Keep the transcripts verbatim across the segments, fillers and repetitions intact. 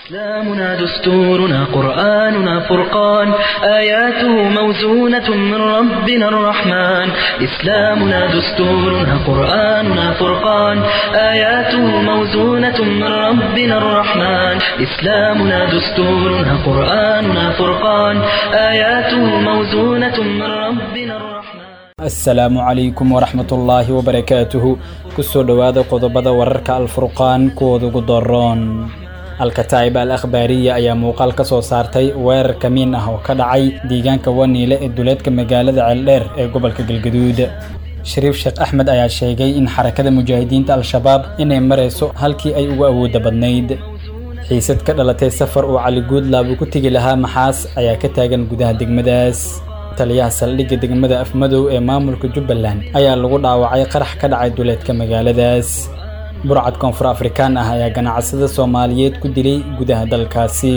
إسلامنا دستورنا قرآننا فرقان آياته موزونة من ربنا الرحمن إسلامنا دستورنا قرآننا فرقان آياته موزونة من ربنا الرحمن إسلامنا دستورنا قرآننا فرقان آياته موزونة من ربنا الرحمن. Asalaamu calaykum waraxmatullaahi wabarakaatuhu. Kusoo dhowaada qodobada wararka Alfurqaan kuwooda ugu daroon. Alkataa'ib al Akhbaariya ayaa muuqaal ka soo saartay weerar kamiin ah oo ka dhacay deegaanka Waniile ee duleedka magaalada Ceeldheer ee gobolka Galgaduud. Shariif Sheekh Axmed ayaa sheegay in Xarakada Mujaahidiinta Al-Shabaab inay marayso halkii ay ugu awoodda badnayd. Xiisad ka dhalatay safar uu Cali Guudlaab ku tegi lahaa Maxaas ayaa ka taagan gudaha degmadaas. Taliyaha saldhigga degmada Afmadow ee maamulka Jubbaland ayaa lagu dhaawacay qarax ka dhacay duleedka magaaladaas. Burcad koonfur Afrikaan ah ayaa ganacsada Soomaaliyeed ku dilay gudaha dalkaasi.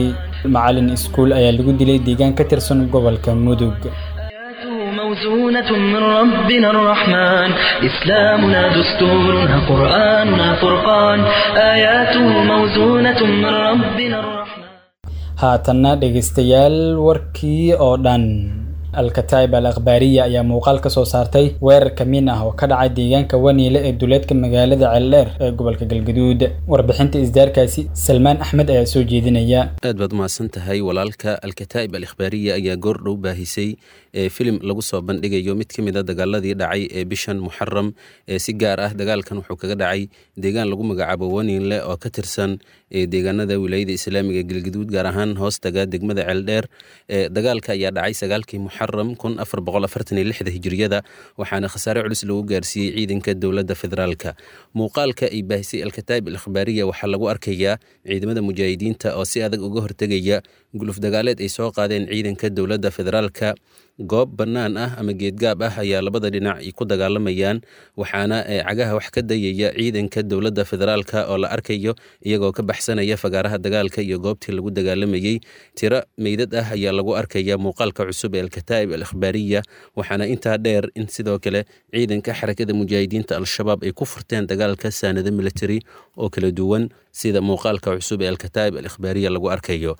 Macalin iskuul ayaa lagu dilay deegaan ka tirsan gobolka Mudug. آياته موزونة من ربنا الرحمن إسلامنا دستورنا قرآننا فرقان آياته موزونة من ربنا الرحمن. Haatanna dhegaystayaal, warkii oo dhan. Alkataa'ib al Akhbaariya ayaa muuqaal ka soo saartay weerar kamiin ah oo ka dhacay deegaanka Waniile ee duleedka magaalada Ceeldheer ee gobolka Galgaduud. Warbixinta isdaarkaasi Salmaan Axmed ayaa soo jeedinaya. Aad baad umahadsan tahay, walaalka. Alkataa'ib al Ikhbaariya ayaa goordhow baahisay ee filim lagu soo bandhigayo mid ka mid a dagaaladii dhacay ee bishan Muxaram. Ee si gaar ah dagaalkan wuxuu kaga dhacay deegaan lagu magacaabo Waniinle oo ka tirsan ee deegaanada wilaayada islaamiga Galgaduud, gaar ahaan hoostaga degmada Ceeldheer. Ee dagaalka ayaa dhacay sagaalkii Muxaram kun afar boqol afartan iyo lixda hijriyada, waxaana khasaare culus lagu gaarsiiyey ciidanka dowladda federaalka. Muuqaalka ay baahisay Alkataa'ib al Ikhbaariya waxaa lagu arkayaa ciidamada mujaahidiinta oo si adag uga hortegaya guluf dagaaleed ay soo qaadeen ciidanka dowladda federaalka. Goob bannaan ah ama geedgaab ah ayaa labada dhinac ay ku dagaalamayaan, waxaana cagaha wax ka dayaya ciidanka dowladda federaalka oo la arkayo iyagoo ka baxsanaya fagaaraha dagaalka iyo goobtii lagu dagaalamayey. Tiro meydad ah ayaa lagu arkaya muuqaalka cusub ee Alkataa'ib al Ikhbaariya, waxaana intaa dheer in sidoo kale ciidanka Xarakada Mujaahidiinta Al-Shabaab ay ku furteen dagaalka saanado military oo kala duwan, sida muuqaalka cusub ee Alkataa'ib al Ikhbaariya lagu arkayo.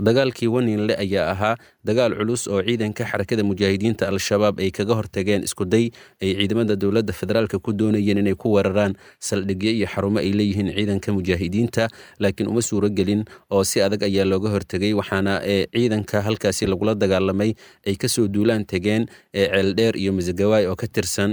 Dagaalkii Waniinle ayaa ahaa dagaal culus oo ciidanka Xarakada Mujaahidiinta Al-Shabaab ay kaga hortageen iskuday ay ciidamada dowladda federaalka ku doonayeen inay ku weeraraan saldhigyo iyo xarumo ay leeyihiin ciidanka mujaahidiinta, laakiin uma suuro gelin oo si adag ayaa looga hortegay, waxaana ciidanka halkaasi lagula dagaalamay ay kasoo duulaan tegeen Ceeldheer iyo Masagawaay oo ka tirsan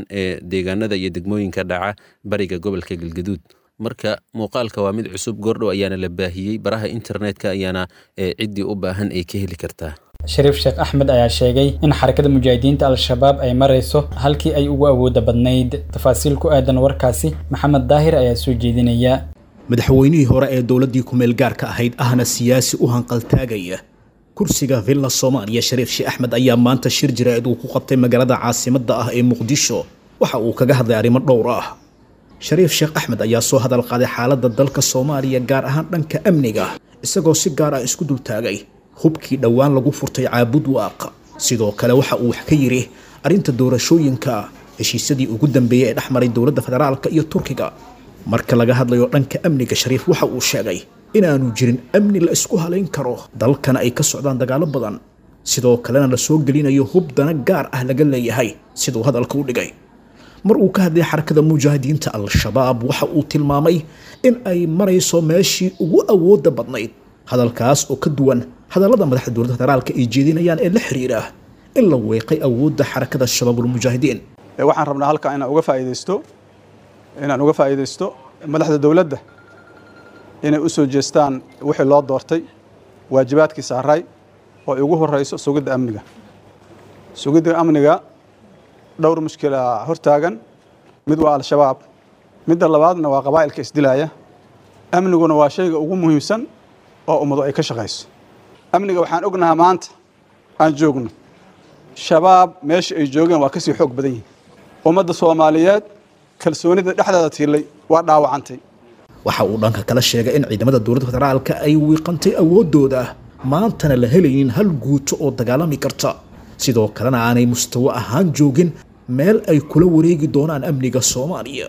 deegaanada iyo degmooyinka dhaca bariga gobolka Galgaduud. Marka muuqaalka waa mid cusub, goordhow ayaana la baahiyey, baraha internetka ayaana ciddii u baahan ay ka heli kartaa. Shariif Sheekh Axmed ayaa sheegay in Xarakada Mujaahidiinta Al-Shabaab ay marayso halkii ay ugu awoodda badnayd. Tafaasiil ku aadan warkaasi Maxamed Daahir ayaa soo jeedinaya. Madaxweynihii hore ee dowladdii ku-meel gaarka ahayd ahna siyaasi u hanqaltaagaya kursiga Villa Soomaaliya, Shariif Sheekh Axmed, ayaa maanta shir jiraa'id uu ku qabtay magaalada caasimadda ah ee Muqdisho waxa uu kaga hadlay arrimo dhowr ah. Shariif Sheekh Axmed ayaa soo hadal qaaday xaaladda dalka Soomaaliya, gaar ahaan dhanka amniga, isagoo si gaar ah isku dultaagay hubkii dhowaan lagu furtay Caabud Waaq. Sidoo kale waxa uu wax ka yidhi arrinta doorashooyinka, heshiisyadii ugu dambeeyey ee dhex maray dowladda federaalka iyo Turkiga. Marka laga hadlayo dhanka amniga, Shariif waxa uu sheegay inaanu jirin amni la isku halayn karo, dalkana ay ka socdaan dagaallo badan, sidoo kalena la soo gelinayo hub dana gaar ah laga leeyahay, siduu hadalka u dhigay. Mar uu ka hadlay Xarakada Mujaahidiinta Al-Shabaab, waxa uu tilmaamay in ay marayso meeshii ugu awoodda badnayd, hadalkaas oo ka duwan hadallada madaxda dowladda federaalka ay jeedinayaan ee la xiriira in la weeqay awoodda Xarakada Shabaabulmujaahidiin. Waxaan rabnaa halkan inaan uga faa'iidaysto inaan uga faa'iidaysto madaxda dowladda inay u soo jeestaan wixii loo doortay, waajibaadkii saaray oo ay ugu horeyso sugidda amniga. Sugidda amniga dhowr mushkila hortaagan: mid waa Al-Shabaab, midda labaadna waa qabaa'ilka isdilaaya. Amniguna waa shayga ugu muhiimsan oo ummadu ay ka shaqayso. Amniga waxaan ognahaa maanta aan joogno Shabaab meesha ay joogeen waa kasii xoog badan yihin. Ummadda Soomaaliyeed kalsoonida dhexdeeda tiilay waa dhaawacantay. Waxa uu dhanka kala sheegay in ciidamada dowladda federaalka ay wiiqantay awooddooda, maantana la helaynin hal guuto oo dagaalami karta, sidoo kalena aanay mustawo ahaan joogin meel ay kula wareegi doonaan amniga Soomaaliya.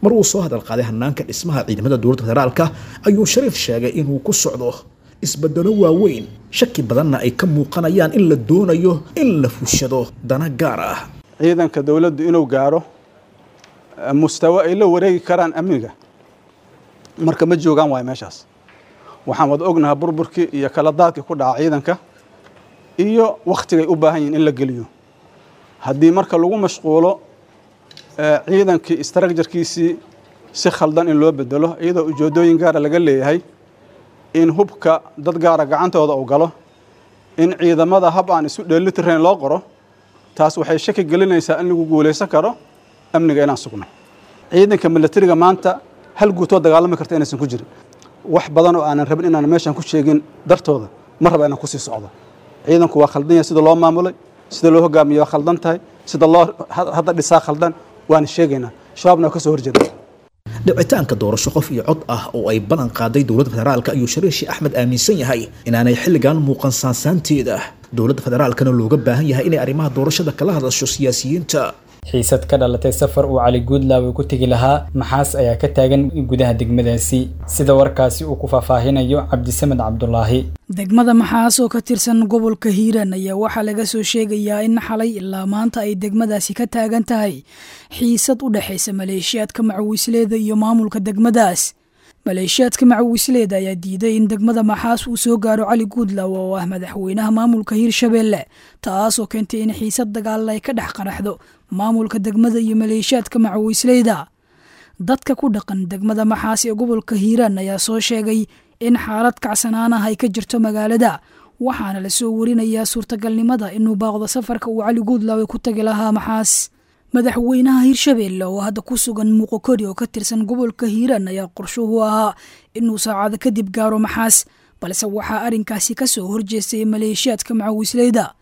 Mar uu soo hadal qaaday hanaanka dhismaha ciidamada dowladda federaalka ayuu Shariif sheegay inuu ku socdo isbedelo waaweyn, shaki badanna ay ka muuqanayaan in la doonayo in la fushado dana gaar ah. Ciidanka dowladdu inuu gaaro mustawo ay la wareegi karaan amniga marka ma joogaan waayo meeshaas. Waxaan wada ognahay burburkii iyo kala daadkii ku dhaca ciidanka iyo wakhtigay u baahan yihiin in la geliyo. Haddii marka lagu mashquulo ciidankii istraakjarkiisii si khaldan in loo bedelo, iyadoo ujeedooyin gaara laga leeyahay, in hubka dad gaara gacantooda uu galo, in ciidamada hab aan isu dheelitirayn loo qoro, taas waxay shaki gelinaysaa in lagu guulaysan karo amniga inaan sugno. Ciidanka milatariga maanta hal guutoo dagaalami karta inaysan ku jirin. Wax badan oo aanan rabin inaan meeshan ku sheegin dartooda ma raba inaan kusii socdo. Ciidanku waa khaldan yahay, sida loo maamulay, sida loo hogaamiyo waa khaldan tahay, sida loo hadda dhisaa khaldan, waana sheegaynaa. Shabaabna waa ka soo horjeeda. Dhicitaanka doorasho qof iyo cod ah oo ay ballan qaaday dowladda federaalka ayuu Shariif Sheekh Axmed aaminsan yahay inaanay xilligan muuqan saansaanteeda, dowladda federaalkana looga baahan yahay inay arrimaha doorashada kala hadasho siyaasiyiinta. Xiisad ka dhalatay safar uu Cali Guudlaawe ku tegi lahaa Maxaas ayaa ka taagan gudaha degmadaasi, sida warkaasi uu ku faahfaahinayo Cabdisamed Cabdulaahi. Degmada Maxaas oo ka tirsan gobolka Hiiraan ayaa waxaa laga soo sheegayaa in xalay ilaa maanta ay degmadaasi ka taagan tahay xiisad u dhexaysa maleeshiyaadka macawisleeda iyo maamulka degmadaas. Maleeshiyaadka macawisleeda ayaa diiday in degmada Maxaas uu soo gaaro Cali Guudlaawe oo ah madaxweynaha maamulka Hiirshabeelle, taasoo keentay in xiisad dagaal ay ka dhex qaraxdo maamulka degmada iyo maleeshiyaadka macawisleyda. Dadka ku dhaqan degmada Maxaas ee gobolka Hiiraan ayaa soo sheegay in xaalad kacsanaan ah ay ka jirto magaalada, waxaana la soo warinayaa suurtagalnimada inuu baaqdo safarka uu Cali Guudlaawe ku tagi lahaa Maxaas. Madaxweynaha Hiirshabeelle oo hadda ku sugan Muqokori oo ka tirsan gobolka Hiiraan ayaa qorshuhu ahaa inuu saacado kadib gaaro Maxaas, balse waxaa arrinkaasi ka soo horjeestay maleeshiyaadka macawisleyda.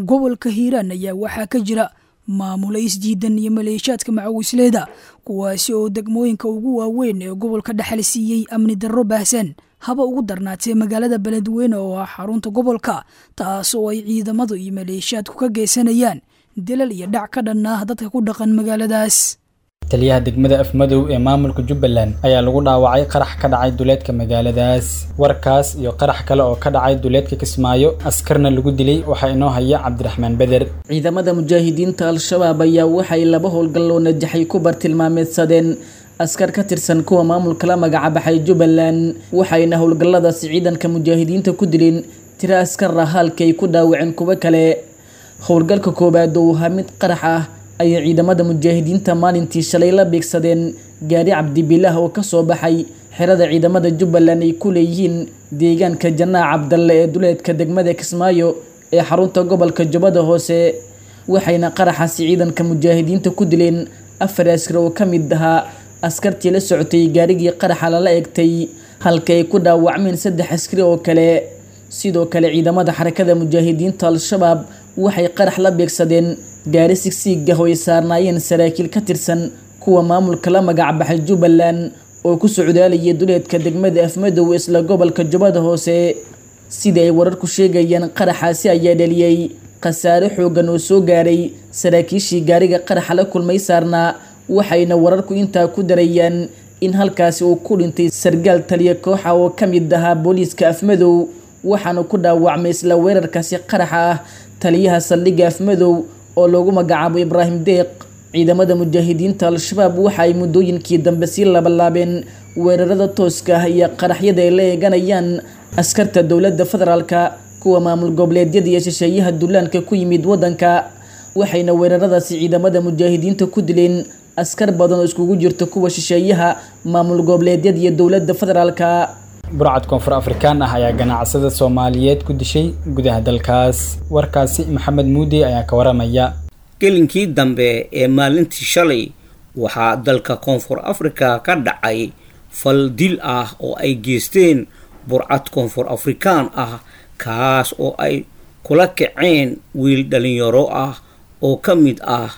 Gobolka Hiiraan ayaa waxaa ka jira maamula isdiidan iyo maleeshiyaadka macawisleyda, kuwaasi oo degmooyinka ugu waaweyn ee gobolka dhexal siiyey amni darro baahsan, haba ugu darnaatee magaalada Beledweyne oo ah xarunta gobolka, taasoo ay ciidamadu iyo maleeshiyaadku ka geysanayaan dilal iyo dhac ka dhan ah dadka ku dhaqan magaaladaas. Taliyaha degmada Afmadow ee maamulka Jubbaland ayaa lagu dhaawacay qarax ka dhacay duleedka magaaladaas. Warkaas iyo qarax kale oo ka dhacay duleedka Kismaayo askarna lagu dilay waxaa inoo haya Cabdiraxmaan Beder. Ciidamada mujaahidiinta Al-Shabaab ayaa waxay laba howlgal oo najaxay ku bartilmaameedsadeen askar ka tirsan kuwa maamulka la magacabaxay Jubbaland, waxayna howlgalladaasi ciidanka mujaahidiinta ku dileen tiro askar ah halka ay ku dhaawaceen kuwo kale. Howlgalka koowaad oo ahaa mid qarax ah ayay ciidamada mujaahidiinta maalintii shalay la beegsadeen gaari Cabdibilaah oo kasoo baxay xerada ciidamada Jubbaland ay ku leeyihiin deegaanka Janaac Cabdalle ee duleedka degmada Kismaayo ee xarunta gobolka Jubbada Hoose, waxayna qaraxaasi ciidanka mujaahidiinta ku dileen afar askar oo ka mid ahaa askartii la socotay gaarigii qaraxa lala eegtay, halka ay ku dhaawacmeen saddex askari oo kale. Sidoo kale ciidamada xarakada mujaahidiinta Al-Shabaab waxay qarax la beegsadeen gaari sigsiig ah oo ay saarnaayeen saraakiil ka tirsan kuwa maamulka la magacbaxay Jubbaland oo ku socdaalayay duleedka degmada Afmadow isla gobolka Jubbada Hoose. Sida ay wararku sheegayaan, qaraxaasi ayaa dhaliyay khasaare xooggan oo soo gaaray saraakiishii gaariga qaraxa la kulmay saarnaa, waxayna wararku intaa ku darayaan in halkaasi uu ku dhintay sargaal taliya kooxa oo ka mid ahaa booliiska Afmadow, waxaana ku dhaawacmay isla weerarkaasi qaraxa ah taliyaha saldhigga Afmadow oo loogu magacaabo Ibraahim Deeq. Ciidamada mujaahidiinta Al-Shabaab waxa ay muddooyinkii dambe sii labalaabeen weerarada tooska ah iyo qaraxyada ay la eeganayaan askarta dowladda federaalka, kuwa maamul goboleedyada iyo shisheeyaha dullaanka ku yimid waddanka, waxayna weeraradaasi ciidamada mujaahidiinta ku dileen askar badan oo iskugu jirta kuwa shisheeyaha, maamul goboleedyada iyo dowladda federaalka. Burcad koonfur Afrikaan ah ayaa ganacsada Soomaaliyeed ku dishay gudaha dalkaas. Warkaasi Maxamed Muudi ayaa ka waramaya. Gelinkii dambe ee maalintii shalay waxaa dalka Koonfur Afrika ka dhacay fal dil ah oo ay geysteen burcad koonfur Afrikaan ah, kaas oo ay kula kaceen wiil dhalinyaro ah oo ka mid ah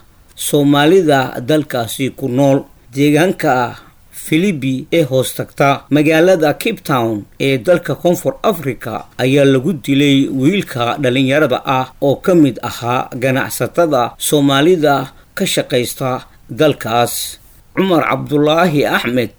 Soomaalida dalkaasi ku nool. Deegaanka Philippi ee hoos tagta magaalada Cape Town ee dalka Koonfur Africa ayaa lagu dilay wiilka dhalinyarada ah oo ka mid ahaa ganacsatada Soomaalida ka shaqaysta dalkaas. Cumar Cabdulaahi Axmed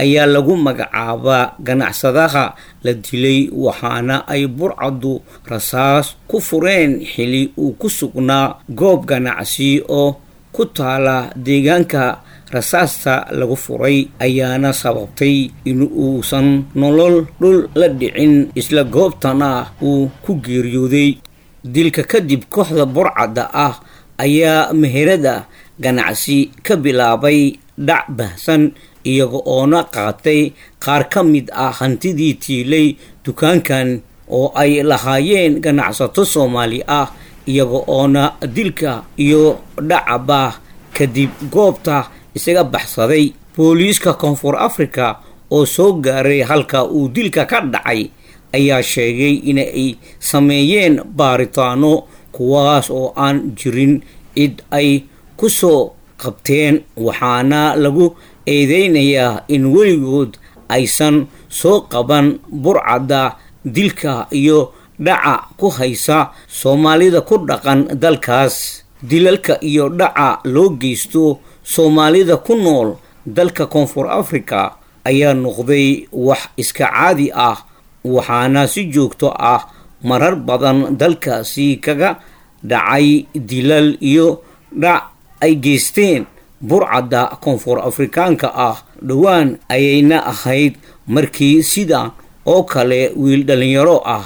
ayaa lagu magacaabaa ganacsadaha la dilay, waxaana ay burcaddu rasaas ku fureen xili uu ku sugnaa goob ganacsi oo ku taala deegaanka. Rasaasta lagu furay ayaana sababtay in uusan nolol dhul la dhicin, isla goobtana uu ku geeriyooday. Dilka kadib kooxda burcadda ah ayaa meherada ganacsi ka bilaabay dhac bahsan, iyaga oona qaatay qaar ka mid ah hantidii tiilay dukaankan oo ay lahaayeen ganacsato Soomaali ah, iyaga oona dilka iyo dhacaba kadib goobta isaga baxsaday. Booliiska Koonfur Africa oo soo gaaray halka uu dilka ka dhacay ayaa sheegay inay sameeyeen baaritaano, kuwaas oo aan jirin cid ay ku soo qabteen, waxaana lagu eedeynayaa in weligood aysan soo qaban burcadda dilka iyo dhaca ku haysa Soomaalida ku dhaqan dalkaas. Dilalka iyo dhaca loo geysto Soomaalida ku nool dalka Koonfur Africa ayaa noqday wax iska caadi ah, waxaana si joogto ah marar badan dalkaasi kaga dhacay dilal iyo dhac ay geysteen burcadda Koonfur Afrikaanka ah. Dhowaan ayayna ahayd markii sidan oo kale wiil dhallinyaro ah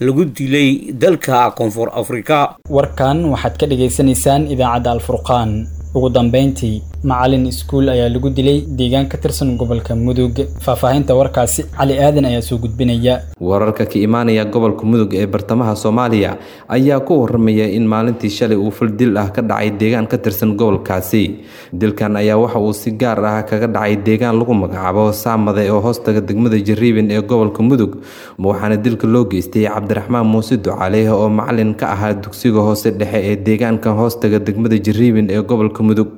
lagu dilay dalka Koonfur Afrika. Warkan waxaad ka dhagaysanaysaan idaacadda Alfurqaan. Ugu dambeyntii, macalin iskuul ayaa lagu dilay deegaan ka tirsan gobolka Mudug. Faahfaahinta warkaasi Cali Aadan ayaa soo gudbinaya. Wararka ka imaanaya gobolka Mudug ee bartamaha Soomaaliya ayaa ku waramaya in maalintii shalay uu fal dil ah ka dhacay deegaan ka tirsan gobolkaasi. Dilkan ayaa waxa uu si gaar ah kaga dhacay deegaan lagu magacaabo Saamade oo hoostaga degmada Jariibin ee gobolka Mudug, waxaana dilka loo geystay Cabdiraxmaan Muuse Ducaale oo macalin ka ahaa dugsiga hoose dhexe ee deegaanka hoostaga degmada Jariibin ee gobolka Mudug.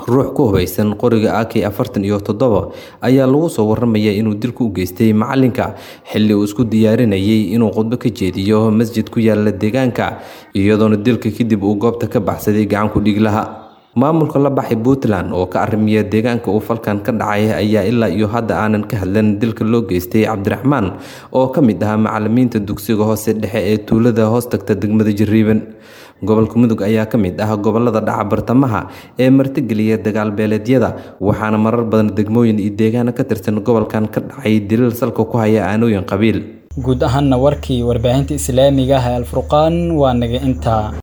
Ruux ku hubaysan qoriga A K afartan iyo toddoba ayaa lagu soo waramaya inuu dilku u geystay macalinka xilli uu isku diyaarinayay inuu khudbo ka jeediyo masjid ku yaala deegaanka, iyadoona dilka kadib uu goobta ka baxsaday gacan ku dhiglaha. Maamulka la baxay Puntland oo ka arrimiya deegaanka uu falkan ka dhacay ayaa ilaa iyo hadda aanan ka hadlan dilka loo geystay Cabdiraxmaan oo ka mid ahaa macalimiinta dugsiga hoose dhexe ee tuulada hoostagta degmada Jariiban. Gobolka Mudug ayaa ka mid ah gobolada dhaca bartamaha ee martigeliya dagaal beeleedyada, waxaana marar badan degmooyin iyo deegaano ka tirsan gobolkan ka dhacay dilal salka ku haya aanooyin qabiil. Guud ahaanna warkii warbaahinta islaamiga ah ee Alfurqaan waa naga intaa.